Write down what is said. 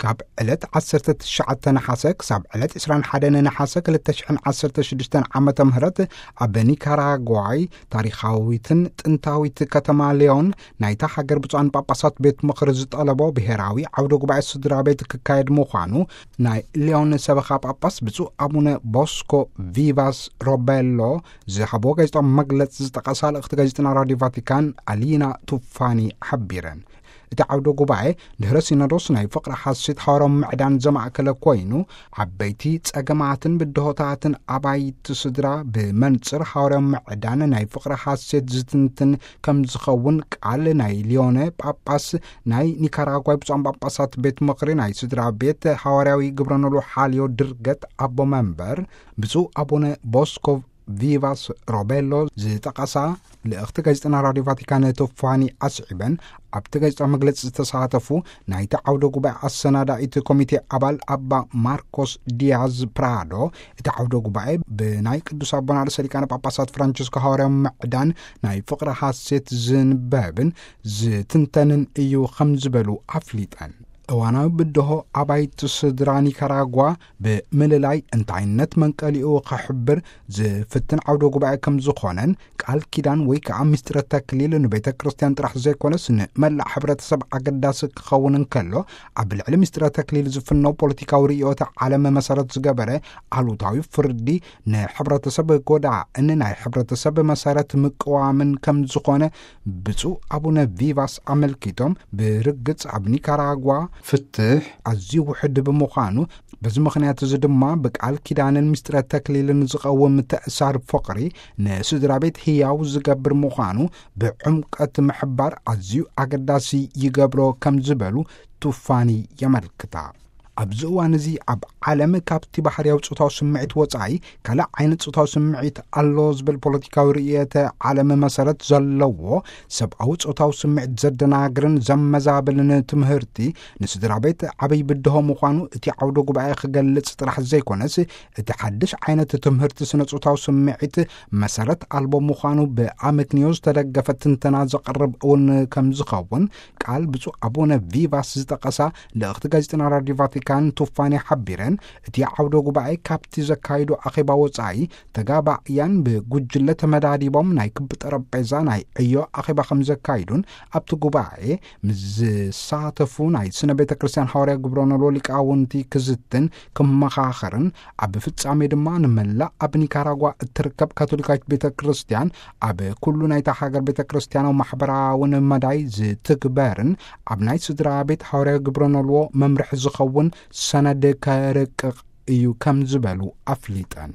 ካብ ዕለት ዓሰርተ ትሽዓተ ነሓሰ ክሳብ ዕለት ዕስራን ሓደን ነሓሰ ክልተ ሽሕን ዓሰርተ ሽዱሽተን ዓመተ ምህረት ኣብ ኒካራጓይ ታሪኻዊትን ጥንታዊት ከተማ ሊዮን ናይታ ሃገር ብፁዓን ጳጳሳት ቤት ምኽሪ ዝጠለቦ ብሔራዊ ዓውደ ጉባኤ ስድራ ቤት ክካየድ ምዃኑ ናይ ሊዮን ሰበኻ ጳጳስ ብፁዕ ኣቡነ ቦስኮ ቪቫስ ሮቤሎ ዝሃቦ ጋዜጣዊ መግለጺ ዝጠቐሳ ልእኽቲ ጋዜጠና ራዲዮ ቫቲካን ኣሊና ቱፋኒ ሓቢረን። እቲ ዓውደ ጉባኤ ድሕረ ሲኖዶስ ናይ ፍቕሪ ሓሴት ሓዋርያዊ ምዕዳን ዘማእከለ ኮይኑ፣ ዓበይቲ ጸገማትን ብድሆታትን ኣባይቲ ስድራ ብመንጽር ሓዋርያዊ ምዕዳን ናይ ፍቕሪ ሓሴት ዝትንትን ከም ዝኸውን ቃል ናይ ሊዮነ ጳጳስ ናይ ኒካራጓይ ብፁዓን ጳጳሳት ቤት ምኽሪ ናይ ስድራ ቤት ሓዋርያዊ ግብረ ኖልዎ ሓልዮ ድርገት ኣቦ መንበር ብፁዕ ኣቡነ ቦስኮ ቪቫስ ሮቤሎ ዝጠቐሳ ልእኽቲ ጋዜጠና ራዲዮ ቫቲካን ቶፋኒ ኣስዒበን፣ ኣብቲ ጋዜጣዊ መግለጺ ዝተሳተፉ ናይቲ ዓውደ ጉባኤ ኣሰናዳኢት ኮሚቴ ኣባል ኣባ ማርኮስ ዲያዝ ፕራዶ፣ እቲ ዓውደ ጉባኤ ብናይ ቅዱስ ኣቦና ርእሰ ሊቃነ ጳጳሳት ፍራንቸስኮ ሃዋርያዊ ምዕዳን ናይ ፍቕሪ ሓሴት ዝንበብን ዝትንተንን እዩ ከም ዝበሉ ኣፍሊጠን። እዋናዊ ብድሆ ኣባይቲ ስድራ ኒካራጓ ብምልላይ እንታይነት መንቀሊኡ ከሕብር ዝፍትን ዓውደ ጉባኤ ከም ዝኾነን፣ ቃል ኪዳን ወይ ከዓ ምስጢረ ተክሊል ንቤተ ክርስቲያን ጥራሕ ዘይኮነስ ንመላእ ሕብረተሰብ ኣገዳሲ ክኸውን እንከሎ፣ ኣብ ልዕሊ ምስጢረ ተክሊል ዝፍነው ፖለቲካዊ ርእዮተ ዓለም መሰረት ዝገበረ ኣሉታዊ ፍርዲ ንሕብረተሰብ ጎዳእን ናይ ሕብረተሰብ መሰረት ምቅዋምን ከም ዝኾነ ብፁዕ ኣቡነ ቪቫስ ኣመልኪቶም፣ ብርግጽ ኣብ ኒካራጓ ፍትሕ ኣዝዩ ውሕድ ብምዃኑ፣ በዚ ምኽንያት እዚ ድማ ብቃል ኪዳንን ምስጢረ ተክሊልን ዝቐውም ምትእሳር ፍቕሪ ንስድራ ቤት ህያው ዝገብር ምዃኑ ብዕምቀት ምሕባር ኣዝዩ ኣገዳሲ ይገብሮ ከም ዝበሉ ቱፋኒ የመልክታ። ኣብዚ እዋን እዚ ኣብ ዓለም ካብቲ ባህርያዊ ጾታዊ ስምዒት ወጻኢ ካልእ ዓይነት ጾታዊ ስምዒት ኣሎ ዝብል ፖለቲካዊ ርእየተ ዓለም መሰረት ዘለዎ ሰብኣዊ ጾታዊ ስምዒት ዘደናግርን ዘመዛብልን ትምህርቲ ንስድራ ቤት ዓብይ ብድሆ ምዃኑ እቲ ዓውደ ጉባኤ ክገልጽ ጥራሕ ዘይኮነስ፣ እቲ ሓድሽ ዓይነት ትምህርቲ ስነ ጾታዊ ስምዒት መሰረት ኣልቦ ምዃኑ ብኣመክንዮ ዝተደገፈ ትንተና ዘቕርብ እውን ከም ዝኸውን ቃል ብፁዕ ኣቡነ ቪቫስ ዝጠቐሳ ልእኽቲ ጋዜጠና ራዲዮ ቫቲካን ቱፋኒ ሓቢረን፣ እቲ ዓውደ ጉባኤ ካብቲ ዘካይዶ ኣኼባ ወጻኢ ተጋባእያን ብጉጅለ ተመዳዲቦም ናይ ክቢ ጠረጴዛ ናይ ዕዮ ኣኼባ ከም ዘካይዱን፣ ኣብቲ ጉባኤ ምስ ዝሳተፉ ናይ ስነ ቤተ ክርስቲያን ሃዋርያ ግብረ ኖልዎ ሊቃውንቲ ክዝትን ክመኻኸርን፣ ኣብ ፍጻሜ ድማ ንመላእ ኣብ ኒካራጓ እትርከብ ካቶሊካዊት ቤተ ክርስቲያን ኣብ ኩሉ ናይታ ሃገር ቤተ ክርስቲያናዊ ማሕበራውን መዳይ ዝትግበርን ኣብ ናይ ስድራ ቤት ሃዋርያ ግብረ ኖልዎ መምርሒ ዝኸውን ሰነድ ከርቅቕ እዩ ከም ዝበሉ ኣፍሊጠን።